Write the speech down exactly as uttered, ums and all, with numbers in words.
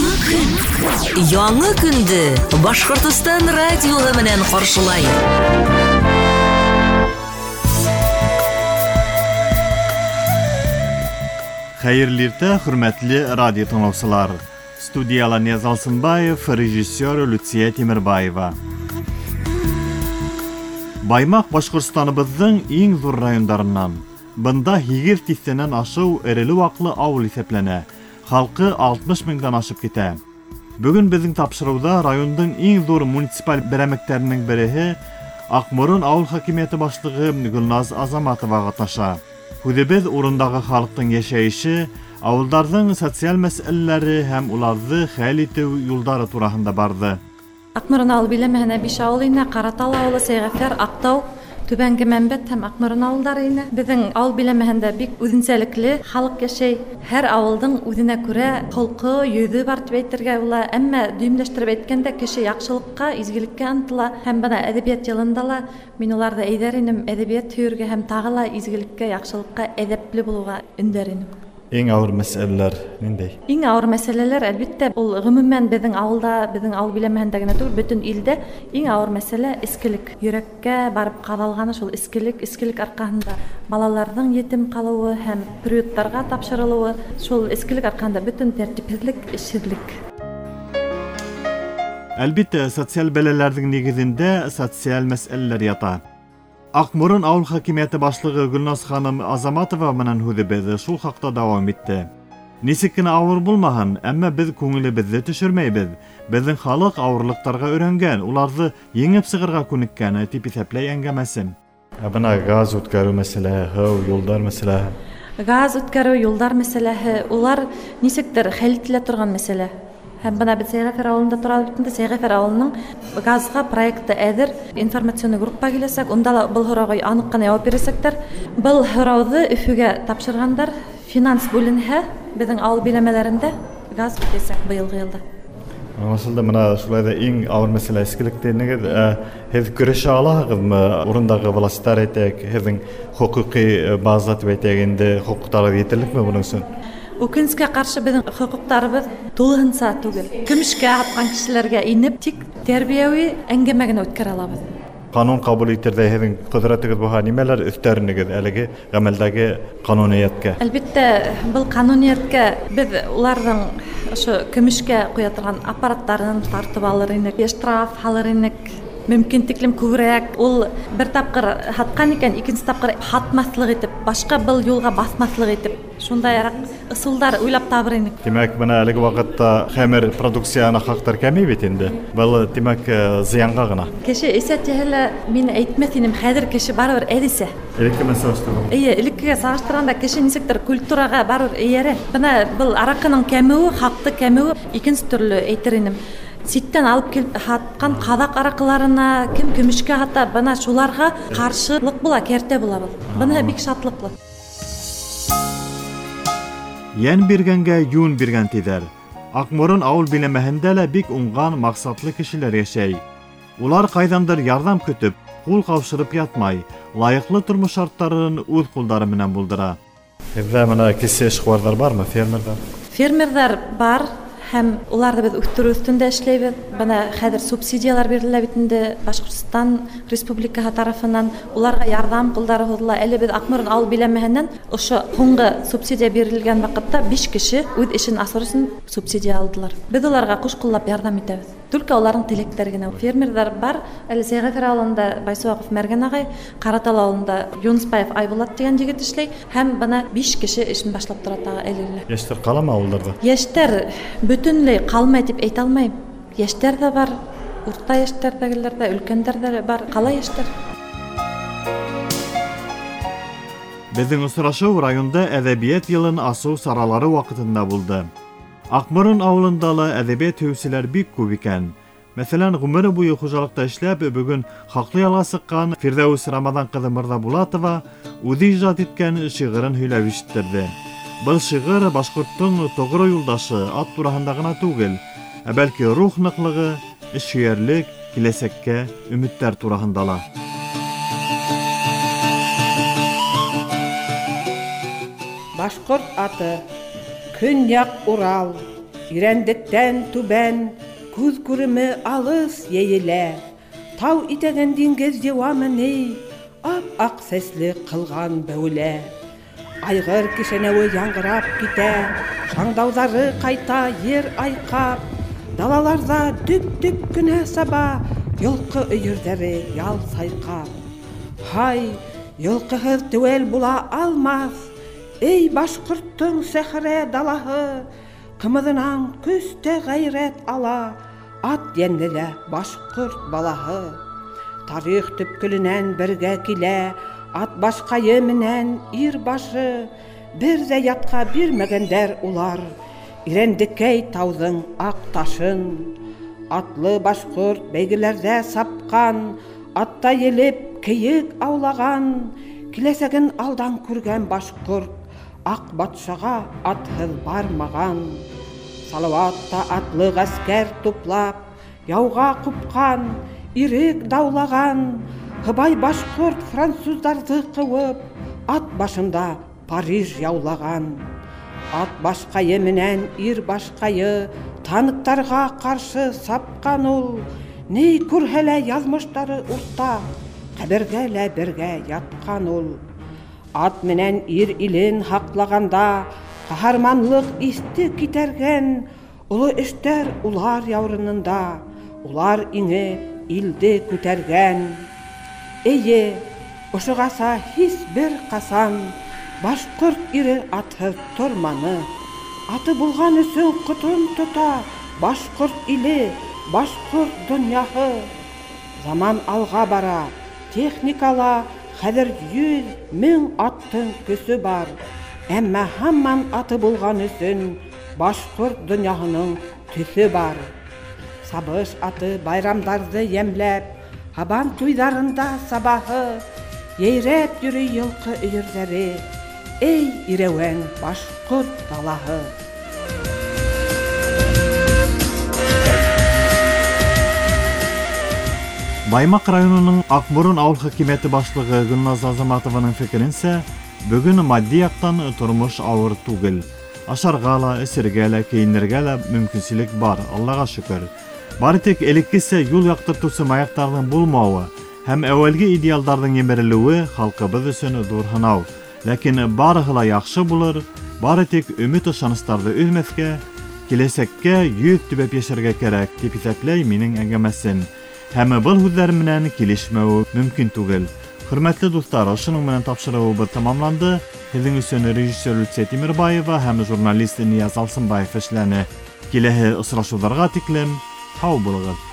Яңы көн. Яңы көндө Башҡортостан радиоһы менән ҡаршылай. Хәйерле иртә, хөрмәтле радио тыңлаусылар. Студияла Нияз Алсынбаев, режиссер Люция Тимербаева. Баймаҡ Башҡортостаныбыҙҙың иң ҙур райондарынан. Бында һигеҙ тиҫтәнән ашыу эреле-ваҡлы ауыл иҫәпләнә. Халҡы алтмыш меңдән ашып китә. Бөгөн беҙҙең тапшырыуҙа райондың иң ҙур муниципаль берәмектәренең береһе Аҡморон ауыл хакимиәте башлығы Гөлназ Азаматова ҡатнаша. Һүҙебеҙ урындағы халыҡтың йәшәйеше, ауылдарҙың социаль мәсьәләләре һәм уларҙы хәл итеү юлдары тураһында барҙы. Аҡморон ауыл биләмәһенә биш ауыл инә: Ҡаратал ауылы, Сәйғәфәр, Аҡтау, Түбәнге Мәмбәт һәм Аҡморон ауылдары инә. Беҙҙең ауыл биләмәһендә бик үҙенсәлекле халыҡ йәшәй. Һәр ауылдың үҙенә күрә холҡо, йөҙө бар тип әйтергә була. Әммә дөйөмләштереп әйткәндә, кеше яҡшылыҡҡа, изгелеккә ынтыла. Һәм бына әҙәбиәт йылында ла мин уларҙы әйҙәр инем, әҙәбиәт һөйөргә һәм тағы ла изгелеккә, яҡшылыҡҡа, әҙәпле булыуға өндәр инем. Иң ауыр мәсьәләләр ниндәй? Иң ауыр мәсьәләләр, әлбиттә, ул ғөмүмән беҙҙең ауылда, беҙҙең ауыл биләмәһендә генә түгел, бөтөн илдә иң ауыр мәсьәлә эскелек. Йөрәккә барып ҡаҙалғаны шул эскелек, эскелек арҡаһында балаларҙың етем ҡалыуы һәм приюттарға тапшырылыуы, шул эскелек арҡаһында бөтөн тәртипһеҙлек, эшһеҙлек. Әлбиттә, социаль бәләләрҙең нигеҙендә социаль мәсьәләләр ята. Аҡморон ауыл хакимиәте башлығы Гөлназ ханым Азаматова менән һүҙебеҙ шул хаҡта дауам итте. Нисек кенә ауыр булмаһын, әммә беҙ күңелебеҙҙе төшөрмәйбеҙ. Беҙҙең халыҡ ауырлыҡтарға өйрәнгән, уларҙы еңеп сығырға күнеккән, тип иҫәпләй әңгәмәсем. Ә бына газ үткәреү мәсьәләһе, һыу, юлдар мәсьәләһе. Газ үткәреү, юлдар мәсьәләһе, улар нисектер хәл ителә торған мәсьәлә. Һәм бына беҙ Сәйғәфәр ауылында торабыҙ бит инде. Сәйғәфәр ауылының газға проекты әҙер, информационный группа киләсәк, унда ла был һорауға аныҡ ҡына яуап бирәсәктәр. Был һорауҙы Өфөгә тапшырғандар, финанс бүленһә, беҙҙең ауыл биләмәләрендә газ үтәсәк быйылғы йылда. Аңлашылды. Бына шулай ҙа иң ауыр мәсьәлә эскелек тинегеҙ. Ә, һеҙ көрәшә алаһығыҙмы? Урындағы властар әйтәйек, һеҙҙең хоҡуҡи база тип әйтәйек инде, хоҡуҡтарығыҙ етерлекме бының өсөн? Үкенескә ҡаршы беҙҙең хоҡуҡтарыбыҙ тулыһынса түгел. Көмөшкә һатҡан кешеләргә инеп, тик тәрбиәүи әңгәмә генә үткәрә алабыҙ. Ҡанун ҡабул итерҙәй һеҙҙең ҡөҙрәтегеҙ булһа, нимәләр өҫтәренегеҙ әлеге ғәмәлдәге ҡануниәткә? Әлбиттә, был ҡануниәткә беҙ уларҙың ошо көмөшкә ҡуя торған аппараттарын тартып алыр инек, штраф һалыр инек. Мөмкин тиклем күберәк. Ул бер тапҡыр һатҡан икән, икенсе тапҡыр һатмаҫлыҡ итеп, башҡа был юлға баҫмаҫлыҡ итеп, шундайыраҡ ысулдар уйлап табыр инек. Тимәк, бына әлеге ваҡытта хәмер продукцияһына хаҡтар кәмей бит инде. Был, тимәк, зыянға ғына. Кеше эсә тиһә лә, мин әйтмәҫ инем, хәҙер кеше барыбер әҙ эсә. Элекке менән сағыштырғанда. Эйе, элеккегә сағыштырғанда кеше нисектер культураға барыбер эйәрә. Бына был араҡының кәмеүе, хаҡты кәмеүе икенсе төрлө әйтер инем. Ситтән алып килеп һатҡан ҡаҙаҡ араҡыларына, кем көмөшкә һата, бына шуларға ҡаршылыҡ була, кәртә була был. Бына бик шатлыҡлы. Йән биргәнгә йүн биргән тиҙәр. Аҡморон ауыл биләмәһендә лә бик уңған, маҡсатлы кешеләр йәшәй. Улар ҡайҙандыр ярҙам көтөп, ҡул ҡаушырып ятмай, лайыҡлы тормош шарттарын үҙ ҡулдары менән булдыра. Һеҙҙә бына кесе эшҡыуарҙар бармы, фермерҙар? Фермерҙар бар. Һәм уларҙы беҙ үҫтереү өҫтөндә эшләйбеҙ. Бына хәҙер субсидиялар бирелә бит инде Башҡортостан Республикаһы тарафынан. Уларға ярҙам ҡулдары һуҙыла. Әле беҙ Аҡморон ауыл биләмәһенән ошо һуңғы субсидия бирелгән ваҡытта биш кеше үҙ эшен асыр өсөн субсидия алдылар. Беҙ уларға ҡуш ҡуллап ярҙам итәбеҙ. Только уларҙың теләктәре генә. Фермерҙар бар. Әле Сәйғәфәр ауылында Байсуаҡов Мәргән ағай, Ҡаратал ауылында Юнысбаев Айбулат тигән егет эшләй. Һәм бына биш кеше эшен башлап тора тағы әле лә. Йәштәр ҡаламы ауылдарҙа? Йәштәр бөтөнләй ҡалмай тип әйтә алмайым. Йәштәр ҙә бар, урта йәштәрҙәгеләр ҙә, өлкәндәр ҙә бар, ҡала йәштәр. Беҙҙең осрашыу районда әҙәбиәт йылын асыу саралары ваҡытында булды. Аҡморон ауылында ла әҙәбиәт һөйөүселәр бик күп икән. Мәҫәлән, ғүмере буйы хужалыҡта эшләп, бөгөн хаҡлы ялға сыҡҡан Фирҙәүес Рамаҙан ҡыҙы Мырҙабулатова үҙе ижад иткән шиғырын һөйләп ишеттерҙе. Был шиғыр башҡорттоң тоғро юлдашы ат тураһында ғына түгел, ә бәлки рух ныҡлығы, эшһөйәрлек, киләсәккә өмөттәр тураһында ла. Башҡорт аты, Көньяҡ Урал, Ирәндектән түбән күҙ күреме алыҫ йәйелә. Тау итәген диңгеҙ йыуамы ни, ап-аҡ сәсле ҡылған бәүелә. Айғыр кешәнәүе яңғырап китә, шаңдауҙары ҡайта ер айҡап. Далаларҙа дөп-дөп кенә саба, йылҡы өйөрҙәре ял сайҡап. Һай, йылҡыһыҙ теүәл була алмаҫ, эй башҡорттоң сәхрә далаһы. Ҡымыҙынан көс тә ғәйрәт ала, ат йәнле лә башҡорт балаһы. Тарих төпкөлөнән бергә килә, ат башҡайы менән ир башы. Бер ҙә ятҡа бирмәгәндәр улар, Ирәндекәй тауҙың аҡ ташын. Атлы башҡорт бәйгеләрҙә сапҡан, атта елеп кейек аулаған. Киләсәген алдан күргән башҡорт, аҡ батшаға атһыҙ бармаған. Салауат та атлы ғәскәр туплап, яуға ҡупҡан, ирек даулаған. Һыбай башҡорт француздарҙы ҡыуып, ат башында Париж яулаған. Ат башҡайы менән ир башҡайы танктарға ҡаршы сапҡан ул. Ни күрһә лә яҙмыштары уртаҡ, ҡәбергә лә бергә ятҡан ул. Ат менән ир илен һаҡлағанда ҡаһарманлыҡ иҫте китәргән. Оло эштәр улар яурынында, улар иңе илде күтәргән. Эйе, ошоғаса һис бер ҡасан башҡорт ире атһыҙ торманы. Аты булған өсөн ҡотон тота башҡорт иле, башҡорт донъяһы. Заман алға бара, техникала хәҙер йөҙ мең аттың көсө бар. Әммә һаман аты булған өсөн башҡорт донъяһының төҫө бар. Сабыш аты байрамдарҙы йәмләп, һабан туйҙарында сабаһы. Йәйрәп йөрөй йылҡы өйөрҙәре, эй ирәүән башҡорт далаһы. Баймаҡ районының Аҡморон ауыл хакимиәте башлығы Гөлназ Азаматованың фекеренсә, бөгөн матди яҡтан тормош ауыр түгел. Ашарға ла, эсергә лә, кейенергә лә мөмкинселек бар, Аллаға шөкөр. Бары тик элеккесә юл яҡтыртыусы маяҡтарҙың булмауы һәм әүәлге идеалдарҙың емерелеүе халҡыбыҙ өсөн ҙур һынау. Ләкин барыһы ла яҡшы булыр, бары тик өмөт ышаныстарҙы өҙмәҫкә, киләсәккә йөҙ төбәп йәшәргә кәрәк, тип иҫәпләй минең әңгәмәсем. Һәм был һүҙҙәр менән килешмәүе мөмкин түгел. Хөрмәтле дуҫтар, ошоноң менән тапшырыуыбыҙ тамамланды. Һеҙҙең өсөн режиссер Люция Тимербаева һәм журналист Нияз Алсынбаев эшләне. Киләһе осрашыуҙарға тиклем һау булығыҙ.